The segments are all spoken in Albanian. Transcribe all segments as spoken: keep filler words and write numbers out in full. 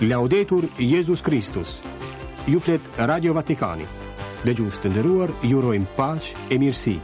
Laudetur Jezus Kristus. Ju flet Radio Vatikani. Dëgjues të nderuar, ju urojmë paqe e mirësi.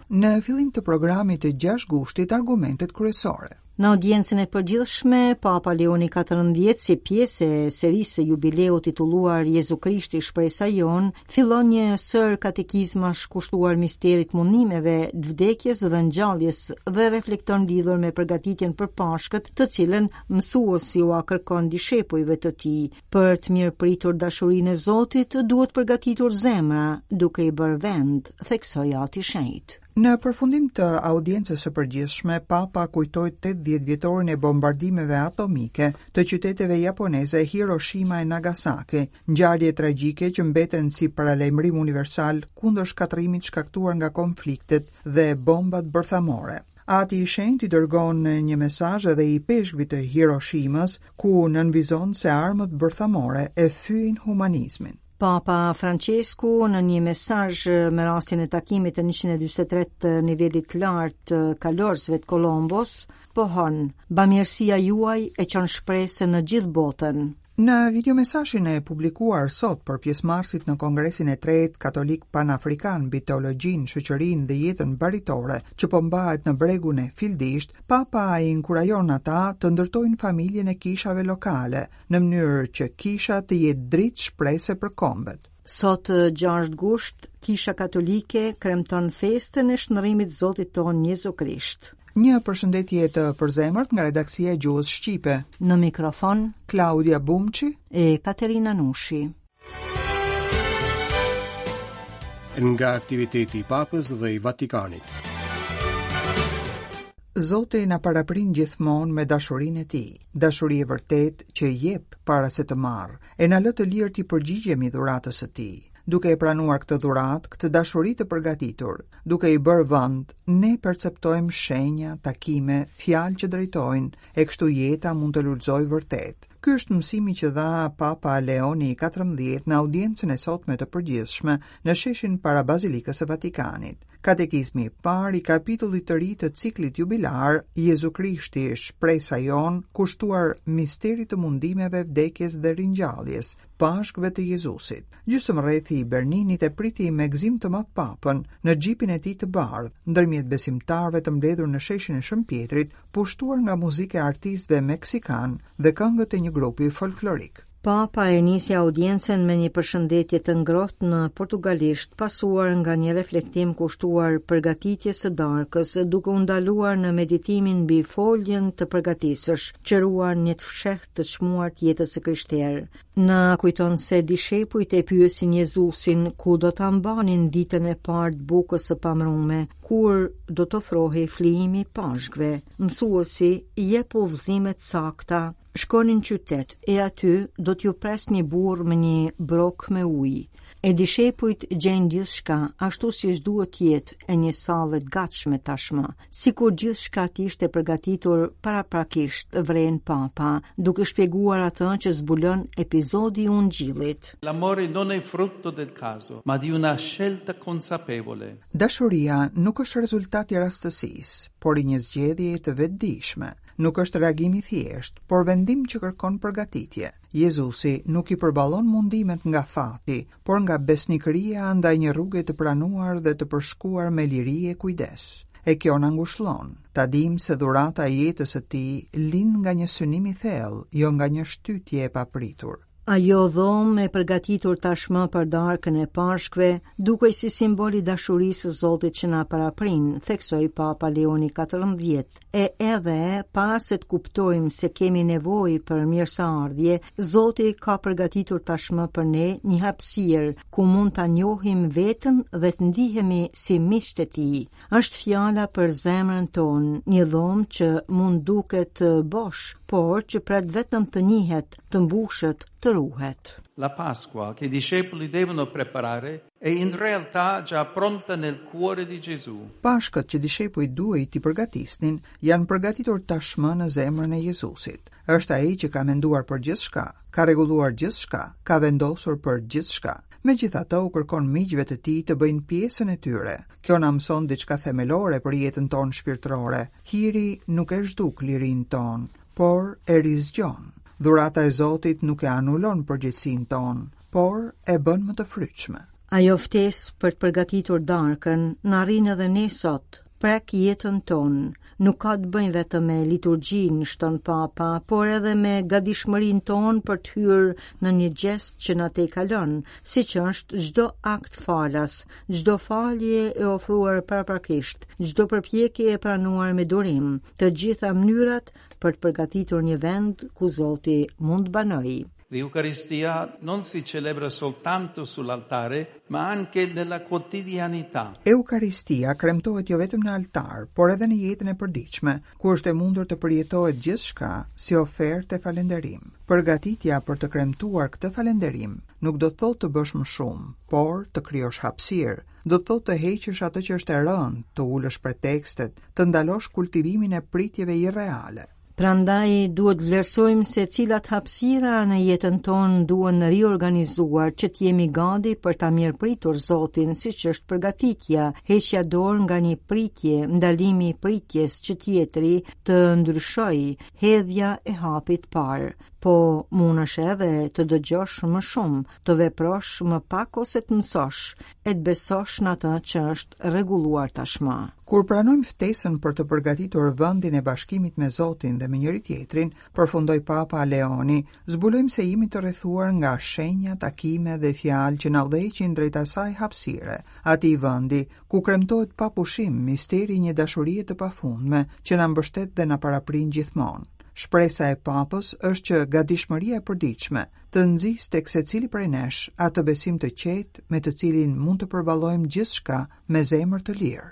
Në fillim të programit të gjashtë gushtit, argumentet kryesore. Në audiencën e përgjithshme, Papa Leoni katërmbëdhjetë, si pjesë e serisë së jubileut titulluar Jezu Krishti shpresa jonë, fillon një sër katekizmash kushtuar misterit mundimeve, vdekjes dhe ngjalljes dhe reflekton lidhur me përgatitjen për Pashkët, të cilën mësuesi ua kërkon dishepujve të tij. Për të mirëpritur dashurinë e Zotit, duhet përgatitur zemra, duke i bërë vend, theksoi Ati Shenjt. Në përfundim të audiencës së përgjithshme, Papa kujtoi tetëdhjetë vjetorin e bombardimeve atomike të qyteteve japoneze Hiroshima e Nagasaki, ngjarje tragjike që mbeten si paralajmërim universal kundër shkatërrimit shkaktuar nga konfliktet dhe bombat bërthamore. Ati i Shenjtë i dërgon një mesazh edhe i peshkvit të Hiroshimës, ku nënvizon se armët bërthamore e fyejnë humanizmin. Papa Francesku në një mesazh me rastin e takimit të njëqind e dyzet e tre të nivelit të lartë të kalorësve të Kolombos, pohon: "Bamirësia juaj e çon shpresën në gjithë botën." Në videomesazhin e publikuar sot për pjesëmarrësit në Kongresin e tretë Katolik Panafrikan mbi teologjinë, shoqërinë dhe jetën baritore, që po mbahet në bregun e Fildisht, Papa i inkurajon ata të ndërtojnë familjen e kishave lokale, në mënyrë që kisha të jetë dritë shprese për kombet. Sot gjashtë gusht, Kisha Katolike kremton festën e shndrimit Zotit ton Jezu Krisht. Një përshëndetje të përzemërt nga redaksia e gjuhës shqipe. Në mikrofon Klaudia Bumçi e Katerina Nushi. Nga aktiviteti i Papës dhe i Vatikanit. Zoti na paraprin gjithmonë me dashurinë e tij, dashuri e vërtetë që jep para se të marrë, e na lë të lirë t'i përgjigjemi dhuratës së tij. Duke e pranuar këtë dhuratë, këtë dashuri të përgatitur, duke i bërë vend, ne perceptojmë shenja, takime, fjalë që drejtojnë, e kështu jeta mund të lulëzojë vërtet. Ky është mësimi që dha Papa Leoni i katërmbëdhjetë në audiencën e sotme të përgjithshme në sheshin para Bazilikës së Vatikanit. Katekizmi i parë i kapitullit të ri të ciklit jubilar, Jezu Krishti, shpresa jonë, kushtuar misterit të mundimeve, vdekjes dhe ringjalljes, Pashkëve të Jezusit. Gjysmë rrethi i Berninit e priti me gëzim të madh Papën në xhipin e tij të bardhë, ndërmjet besimtarëve të mbledhur në sheshin e Shën Pietrit, pushtuar nga muzika e artistëve meksikan dhe këngët e një grupi folklorik. Papa e nisi audiencën me një përshëndetje të ngrohtë në portugalisht, pasuar nga një reflektim kushtuar përgatitjes së darkës, duke u ndaluar në meditimin mbi foljen të përgatisësh, që ruan një të fshehtë të çmuar të jetës së krishterë. Na kujton se dishepujt e pyesin Jezusin ku do ta mbanin ditën e parë të bukës së pamrume, kur do të ofrohej flijimi i Pashkëve. Mësuesi jep udhëzime të sakta. Shkoni në qytet, e aty do t'ju pres një burr me një brok me ujë. E dishepujt gjejnë gjithçka, ashtu siç duhet të jetë, e një sallë të gatshme tashmë. Sikur gjithçka të ishte përgatitur paraprakisht, vren Papa, duke shpjeguar atë që zbulon epizodi i Ungjillit. L'amore non è frutto del caso, ma di una scelta consapevole. Dashuria nuk është rezultat i rastësisë, por i një zgjedhjeje të vetëdijshme. Nuk është reagim i thjeshtë, por vendim që kërkon përgatitje. Jezusi nuk i përballon mundimet nga fati, por nga besnikëria ndaj një rruge të pranuar dhe të përshkuar me liri e kujdes. E kjo na ngushllon, ta dim se dhurata e jetës së tij lind nga një synim i thellë, jo nga një shtytje e papritur. Ajo dhomë e përgatitur tashmë për darkën e Pashkëve, dukej si simbol i dashurisë së Zotit që na paraprin, theksoi Papa Leoni katërmbëdhjetë. E edhe, para se të kuptojmë se kemi nevojë për mirëseardhje, Zoti ka përgatitur tashmë për ne një hapësirë ku mund ta njohim veten dhe të ndihemi si miqtë e tij. Është fjala për zemrën tonë, një dhomë që mund duket bosh, por që pret vetëm të njihet, të mbushet, të ruhet. La Pasqua che i discepoli devono preparare è in realtà già pronta nel cuore di Gesù. Pashkët që dishepujt duhej t'i përgatisnin janë përgatitur tashmë në zemrën e Jezusit. Është ai që ka menduar për gjithçka, ka rregulluar gjithçka, ka vendosur për gjithçka. Megjithatë, u kërkon miqve të tij të bëjnë pjesën e tyre. Kjo na mëson diçka themelore për jetën tonë shpirtërore. Hiri nuk e zhduk lirinë tonë, por e rizgjon. Dhurata e Zotit nuk e anulon përgjegjësinë tonë, por e bën më të frytshme. Ajo ftesë për të përgatitur darkën na arrin edhe ne sot, prek jetën tonë. Nuk ka të bëjë vetëm me liturgjinë, shton Papa, por edhe me gatishmërinë tonë për të hyrë në një gjest që na tejkalon, siç është çdo akt falas, çdo falje e ofruar paraprakisht, çdo përpjekje e pranuar me durim, të gjitha mënyrat për të përgatitur një vend ku Zoti mund të banojë. L'Eucaristia non si celebra soltanto sull'altare, ma anche nella quotidianità. Eukaristia kremtohet jo vetëm në altar, por edhe në jetën e përditshme, ku është e mundur të përjetohet gjithçka si ofertë e falënderim. Përgatitja për të kremtuar këtë falënderim nuk do të thotë të bësh më shumë, por të krijosh hapësirë, do të thotë të heqësh atë që është e rëndë, të ulësh pretekstet, të ndalosh kultivimin e pritjeve irreale. Prandaj duhet vlerësojmë se cilat hapësira në jetën tonë duhen riorganizuar që të jemi gati për ta mirëpritur Zotin, siç është përgatitja, heqja dorë nga një pritje, ndalimi i pritjes që tjetri të ndryshojë, hedhja e hapit parë. Po mundesh edhe të dëgjosh më shumë, të veprosh më pak ose të mësosh, e të besosh në atë që është rregulluar tashmë. Kur pranojmë ftesën për të përgatitur vendin e bashkimit me Zotin dhe me njëri tjetrin, përfundoi Papa Leoni, zbulojmë se jemi të rrethuar nga shenja, takime dhe fjalë që na udhëheqin drejt asaj hapësire, atij vendi ku kremtohet pa pushim misteri i një dashurie të pafundme që na mbështet dhe na paraprin gjithmonë. Shpresa e Papës është që gatishmëria e përditshme të nxisë tek secili prej nesh atë besim të qetë me të cilin mund të përballojmë gjithçka me zemër të lirë.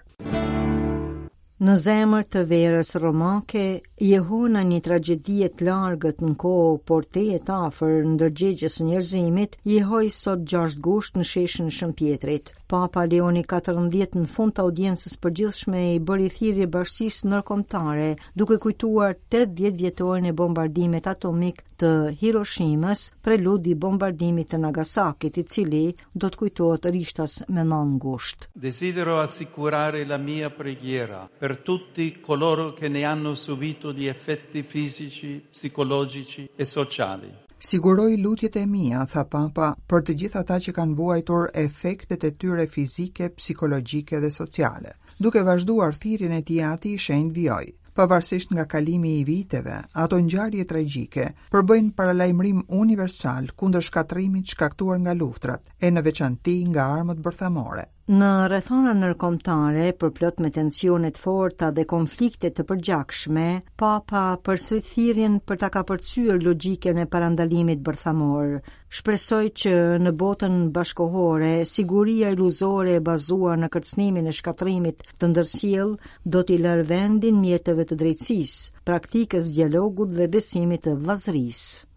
Në zemër të verës romake, jehona një tragjedie të largët në kohë, por tejet afër ndërgjegjes së njerëzimit, jehoi sot gjashtë gusht në sheshin Shën Pjetrit. Papa Leoni katërmbëdhjetë në fund të audiencës përgjithshme i bëri thirrje bashkësisë ndërkombëtare, duke kujtuar tetëdhjetë vjetorin e bombardimit atomik të Hiroshimës, preludi i bombardimit të Nagasakit, i cili do të kujtohet rishtas me nëntë gusht. Desidero assicurare la mia preghiera per tutti coloro che ne hanno subito gli effetti fisici, psicologici e sociali. Siguroj lutjet e mia, tha Papa, për të gjithë ata që kanë vuajtur efektet e tyre fizike, psikologjike dhe sociale. Duke vazhduar thirrjen e tij, Ati i Shenjtë vijoi. Pavarësisht nga kalimi i viteve, ato ngjarje tragjike përbëjnë paralajmërim universal kundër shkatërrimit shkaktuar nga luftrat, e në veçanti nga armët bërthamore. Në rrethana ndërkombëtare, përplot me tensione të forta dhe konflikte të përgjakshme, Papa përsërit thirrjen për ta kapërcyer logjikën e parandalimit bërthamor. Shpresoj që në botën bashkohore, siguria iluzore e bazuar në kërcënimin e shkatërrimit të ndërsjell do t'i lërë vendin mjeteve të drejtësisë, praktikës dialogut dhe besimit të vëllazërisë.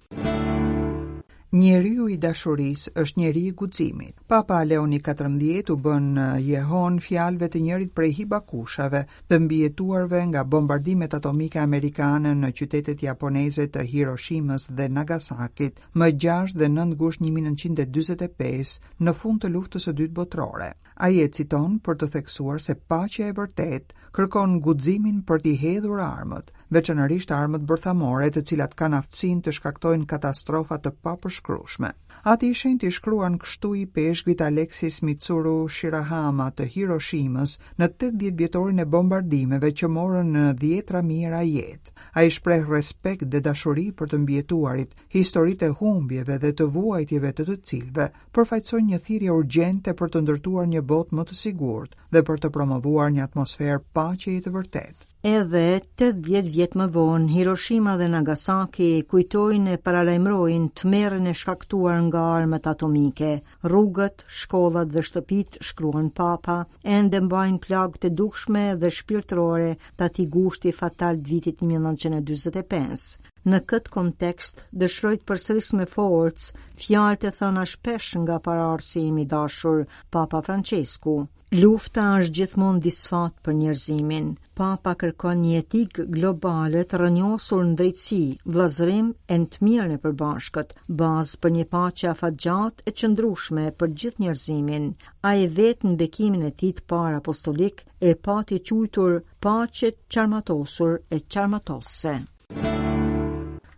Njeriu i dashurisë është njeri i guximit. Papa Leoni katërmbëdhjetë u bën jehon fjalëve të njërit prej hibakushave të mbijetuarve nga bombardimet atomike amerikane në qytetet japoneze të Hiroshimës dhe Nagasakit më gjashtë dhe nëntë gusht një mijë e nëntëqind e dyzet e pesë në fund të luftës së dytë botërore. Ai e citon për të theksuar se paqja e vërtetë kërkon guximin për t'i hedhur armët, veçanërisht armët bërthamore, të cilat kanë aftësinë të shkaktojnë katastrofa të papërshkrueshme. Ati i Shenjtë i shkruan kështu i peshkvit Alexis Mitsuru Shirahama të Hiroshimës në tetëdhjetë vjetorin e bombardimeve që morën në dhjetra mijëra jetë. Ai shpreh respekt dhe dashuri për të mbijetuarit, historitë e humbjeve dhe të vuajtjeve të të cilëve përfaqësojnë një thirrje urgjente për të ndërtuar një botë më të sigurt dhe për të promovuar një atmosferë paqeje të vërtetë. Edhe tetëdhjetë vjet më vonë, Hiroshima dhe Nagasaki kujtojnë e paralajmërojnë tmerrin e shkaktuar nga armët atomike. Rrugët, shkollat dhe shtëpitë, shkruan Papa, ende mbajnë plagë të dukshme dhe shpirtërore të atij gushti fatal të vitit një mijë e nëntëqind e dyzet e pesë. Në këtë kontekst, dëshiroj të përsëris me forcë fjalët e thëna shpesh nga paraardhësi im i dashur, Papa Francesku. Lufta është gjithmonë disfat për njerëzimin. Papa kërkon një etikë globale të rrënjosur në drejtësi, vëllazërim e në të mirën e përbashkët, bazë për një paqe afatgjatë e qëndrueshme për gjithë njerëzimin. Ai vetë në bekimin e tij të parë apostolik e pati quajtur paqe çarmatosur e çarmatose.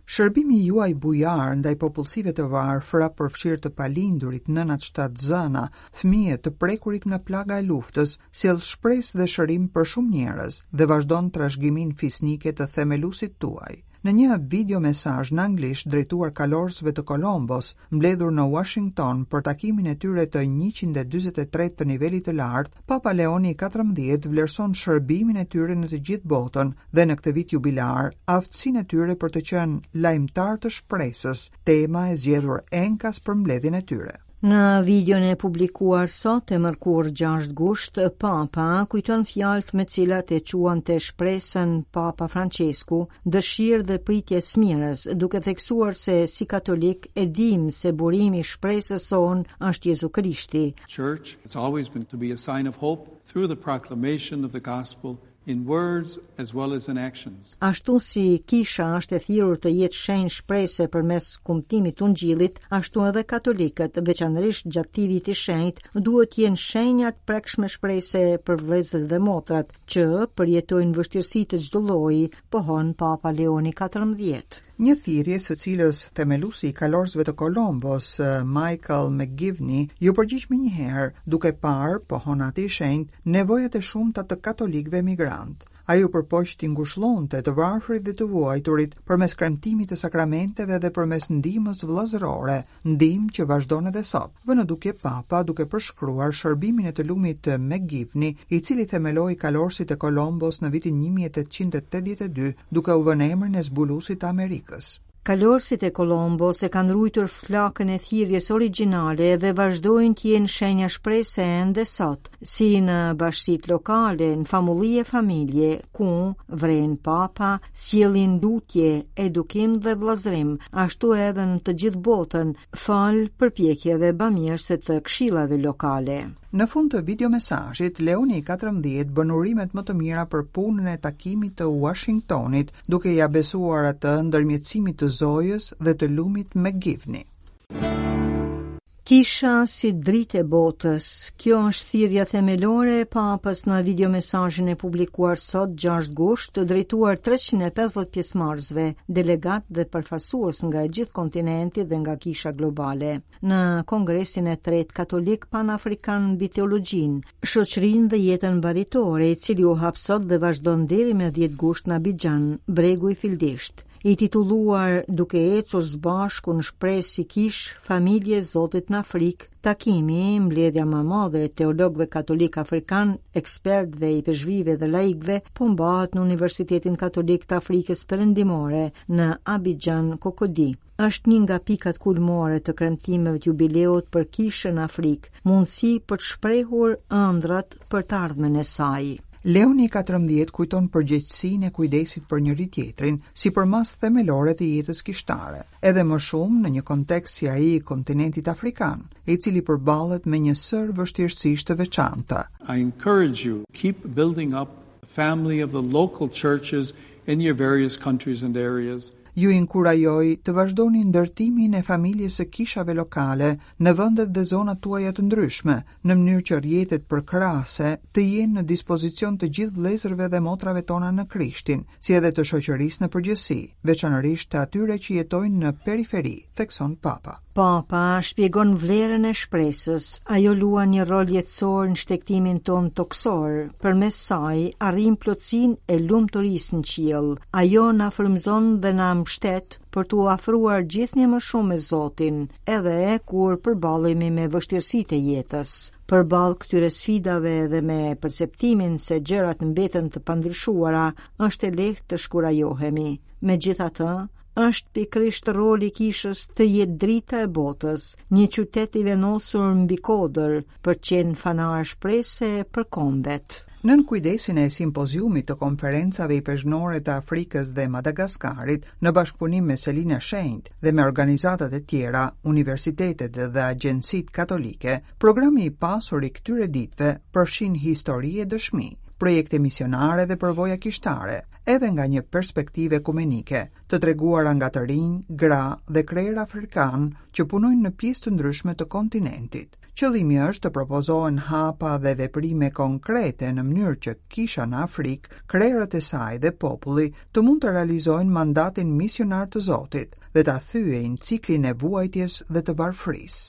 Shërbimi juaj bujar ndaj popullsive të varfra, përfshirë të palindurit, nënat shtatzëna, fëmijët të prekurit nga plaga e luftës, sjell shpresë dhe shërim për shumë njerëz dhe vazhdon trashëgiminë fisnike të themeluesit tuaj. Në një video mesazh në anglisht drejtuar kalorësve të Kolombos, mbledhur në Washington për takimin e tyre të njëqind e dyzet e tre të nivelit të lartë, Papa Leoni i katërmbëdhjetë vlerëson shërbimin e tyre në të gjithë botën dhe në këtë vit jubilar, aftësinë e tyre për të qenë lajmëtar të shpresës, tema e zgjedhur enkas për mbledhjen e tyre. Në videon e publikuar sot e mërkur gjashtë gusht, Papa kujton fjalët me cilat e quante shpresën Papa Francesku, dëshirë dhe pritje smirës, duke theksuar se si katolik e dim se burimi i shpresës sonë është Jezu Krishti. Church has always been to be a sign of hope through the proclamation of the gospel in words as well as in actions. Ashtu si kisha është e thirrur të jetë shenjë shprese përmes kumtimit të ungjillit, ashtu edhe katolikët, veçanërisht gjatë këtij viti shenjt, duhet të jenë shenja të prekshme shprese për vëllezërit dhe motrat që përjetojnë vështirësi të çdo lloji, pohon Papa Leoni katërmbëdhjetë. Një thirrje së cilës themeluesi i kalorësve të Kolombos, Michael McGivney, ju përgjigj menjëherë, duke parë, pohon ati i shenjtë, nevojat e shumta të katolikëve migrantë. Ai u përpoq t'i ngushllonte të varfrit dhe të vuajturit përmes kremtimit të sakramenteve dhe përmes ndihmës vëllazërore, ndihmë që vazhdon edhe sot. Vë në dukje Papa duke përshkruar shërbimin e të lumit McGivney, i cili themeloi kalorësit e Kolombos në vitin një mijë e tetëqind e tetëdhjetë e dy, duke u vënë emrin e zbuluesit të Amerikës. Kalorësit e Kolombos e kanë ruajtur flakën e thirrjes origjinale dhe vazhdojnë të jenë shenja shprese ende sot, si në bashkësitë lokale, në famulli e familje, ku vren Papa, sjellin lutje, edukim dhe vëllazërim, ashtu edhe në të gjithë botën, fal përpjekjeve bamirëse të këshillave lokale. Në fund të videomesazhit, Leoni i katërmbëdhjetë bën urimet më të mira për punën e takimit të Washingtonit, duke ia besuar atë ndërmjetësimit të Zojës dhe të lumit McGivney. Kisha si dritë e botës. Kjo është thirrja themelore e Papës në videomesazhin e publikuar sot gjashtë gusht, drejtuar treqind e pesëdhjetë pjesëmarrësve, delegat dhe përfaqësues nga e gjithë kontinenti dhe nga kisha globale. Në Kongresin e tretë Katolik Panafrikan mbi teologjinë, shoqërinë dhe jetën baritore, i cili u hap sot dhe vazhdon deri me dhjetë gusht në Abidjan, bregu i Fildisht. I titulluar Duke ecur së bashku në shpresë si kish, familje e Zotit në Afrikë, takimi, mbledhja më e madhe e teologëve katolik afrikan, ekspertëve, ipeshkvijve dhe laikëve, po mbahet në Universitetin Katolik të Afrikës Perëndimore në Abidjan, Kokodi. Është një nga pikat kulmore të kremtimeve të jubileut për kishën në Afrikë, mundësi për të shprehur ëndrat për të ardhmen e saj. Leoni i katërmbëdhjetë kujton përgjegjësinë e kujdesit për njëri tjetrin si përmas themelore të jetës kishtare, edhe më shumë në një kontekst si ai i kontinentit afrikan, i cili përballet me një sërë vështirësish të veçanta. I encourage you, keep building up the family of the local churches in your various countries and areas. Ju inkurajoj të vazhdoni ndërtimin e familjes së kishave lokale në vendet dhe zonat tuaja të ndryshme, në mënyrë që rrjetet përkrahëse të jenë në dispozicion të gjithë vëllezërve dhe motrave tona në Krishtin, si edhe të shoqërisë në përgjithësi, veçanërisht të atyre që jetojnë në periferi, thekson Papa. Papa shpjegon vlerën e shpresës. Ajo luan një rol jetësor në shtegtimin ton toksor. Përmes saj arrim plotësinë e lumturisë në qiell. Ajo na frymëzon dhe na mbështet për t'u afruar gjithnjë më shumë me Zotin, edhe kur përballemi me vështirësitë e jetës. Përballë këtyre sfidave dhe me perceptimin se gjërat mbeten të pandryshuara, është e lehtë të shkurajohemi. Megjithatë, është pikërisht roli i kishës të jetë drita e botës, një qytet i vendosur mbi kodër për të qenë fanar shprese për kombet. Nën kujdesin e simpoziumit të konferencave ipeshkvnore të Afrikës dhe Madagaskarit, në bashkëpunim me Selinë e Shenjtë dhe me organizatat e tjera, universitetet dhe agjencitë katolike, programi i pasur i këtyre ditëve përfshin histori e dëshmi, projekte misionare dhe përvoja kishtare, edhe nga një perspektivë ekumenike, të treguara nga të rinj, gra dhe krerë afrikan që punojnë në pjesë të ndryshme të kontinentit. Qëllimi është të propozohen hapa dhe veprime konkrete në mënyrë që kisha në Afrikë, krerët e saj dhe populli të mund të realizojnë mandatin misionar të Zotit dhe ta thyejnë ciklin e vuajtjes dhe të varfërisë.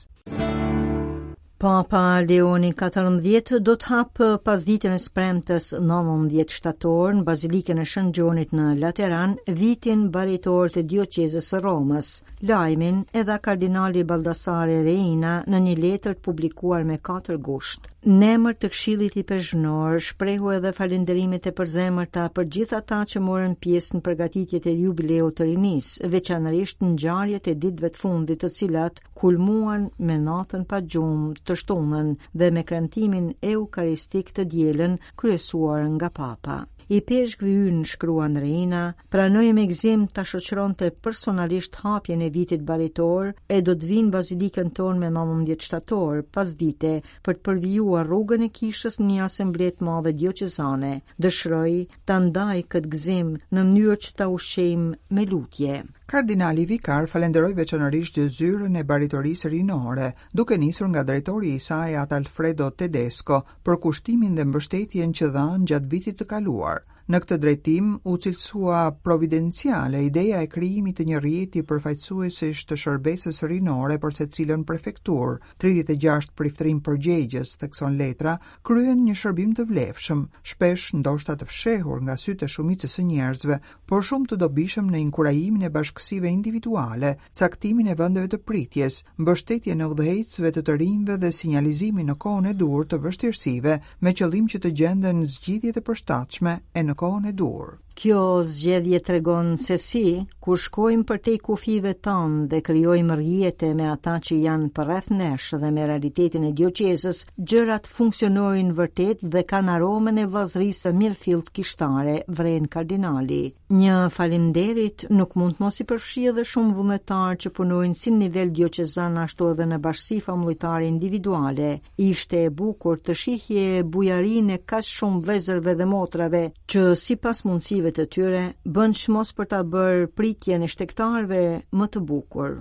Papa Leoni katërmbëdhjetë do të hapë pasditen e së premtes nëntëmbëdhjetë shtator në Bazilikën e Shën Gjonit në Lateran vitin baritor të dioqezës së Romës. Lajmin e dha kardinali Baldassare Reina në një letër të publikuar me katër gusht. Në emër të Këshillit Ipeshkvnor shprehu edhe falenderimet e përzemërta për gjithë ata që morën pjesë në përgatitjet e jubileut të rinisë, veçanërisht në ngjarjet e ditëve të fundit, të cilat kulmuan me natën pa gjumë të shtunën dhe me kremtimin eukaristik të dielën, kryesuar nga Papa. Ipeshkvi ynë, shkruan Reina, pranoi me gëzim ta shoqëronte personalisht hapjen e vitit baritor e do të vinë bazilikën tonë me nëntëmbëdhjetë shtator, pasdite, për të përvijuar rrugën e kishës në një asamble të madhe dioqezane. Dëshiroj ta ndaj këtë gëzim në mënyrë që ta ushqejmë me lutje. Kardinali Vikar falenderoi veçanërisht zyrën e baritorisë rinore, duke nisur nga drejtori i saj At Alfredo Tedesco, për kushtimin dhe mbështetjen që dhanë gjatë vitit të kaluar. Në këtë drejtim u cilësua providenciale ideja e krijimit të një rrjeti përfaqësuesish të shërbesës rinore për secilën prefekturë. tridhjetë e gjashtë priftërinj përgjegjës, thekson letra, kryen një shërbim të vlefshëm, shpesh ndoshta të fshehur nga sytë e shumicës së njerëzve, por shumë të dobishëm në inkurajimin e bashkësive individuale, caktimin e vendeve të pritjes, mbështetjen e udhëheqësve të të rinjve dhe sinjalizimin në kohën e duhur të vështirësive, me qëllim që të gjenden zgjidhje të përshtatshme e në kohën e duhur. Kjo zgjedhje tregon se si, kur shkojmë përtej kufijve tanë dhe krijojmë rrjete me ata që janë përreth nesh dhe me realitetin e dioqezës, gjërat funksionojnë vërtet dhe kanë aromën e vëllazërisë së mirëfillt kishtare, vren kardinali. Një faleminderit nuk mund të mos i përfshijë edhe shumë vullnetar që punojnë si në nivel dioqezan ashtu edhe në bashkësi familjare individuale. Ishte e bukur të shihje bujarinë e kaq shumë vëllezërve dhe motrave që sipas mundësive të tyre bën çmos për ta bërë pritjen e shtegtarëve më të bukur.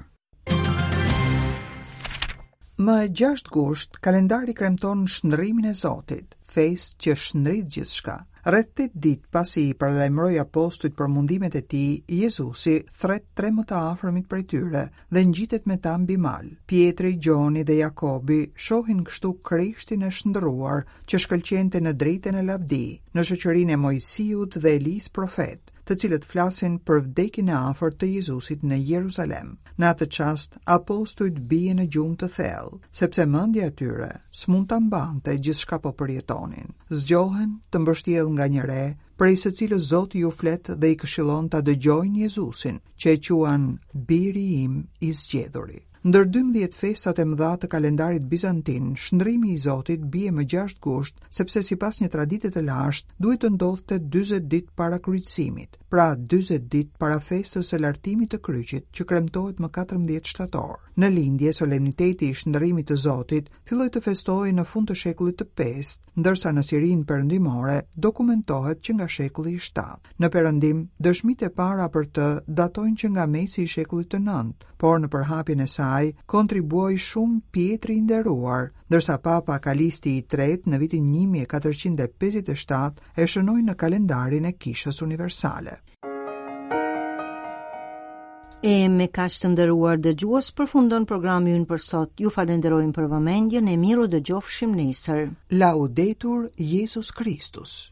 Më gjashtë gusht, kalendari kremton shndrimin e Zotit, festë që shndrit gjithçka. Rreth tetë ditë pasi i paralajmëroi apostujt për mundimet e tij, Jezusi thret tre më të afërmit prej tyre dhe ngjitet me ta mbi mal. Pietri, Gjoni dhe Jakobi shohin kështu Krishtin e shndruar që shkëlqente në dritën e lavdi, në shoqërinë e Moisiut dhe Elis profet, të cilët flasin për vdekjen e afërt të Jezusit në Jeruzalem. Në atë çast, apostujt bien në gjumë të thellë, sepse mendja e tyre s'mund ta mbante gjithçka po përjetonin. Zgjohen të mbështjellë nga një re, prej së cilës Zoti ju flet dhe i këshillon ta dëgjojnë Jezusin, që e quan biri im i zgjedhuri. Ndër dymbëdhjetë festat e mëdha të kalendarit bizantin, shndrimi i Zotit bie më gjashtë gusht, sepse sipas një tradite të lashtë duhet të ndodhte dyzet ditë para kryqëzimit, pra dyzet ditë para festës së lartimit të kryqit, që kremtohet më katërmbëdhjetë shtator. Në lindje, solemniteti i shndrimit të Zotit filloi të festohej në fund të shekullit të pestë, ndërsa në Sirinë perëndimore dokumentohet që nga shekulli i shtatë. Në perëndim, dëshmitë e para për të datojnë që nga mesi i shekullit të nëntë, por në përhapjen e saj kontribuoi shumë Pietri i nderuar, ndërsa Papa Kalisti i tretë në vitin një mijë e katërqind e pesëdhjetë e shtatë e shënoi në kalendarin e Kishës Universale. E me kaq të nderuar dëgjues përfundon programi ynë për sot. Ju falenderojmë për vëmendjen e miru dëgjofshim nesër. Laudetur Jezus Kristus.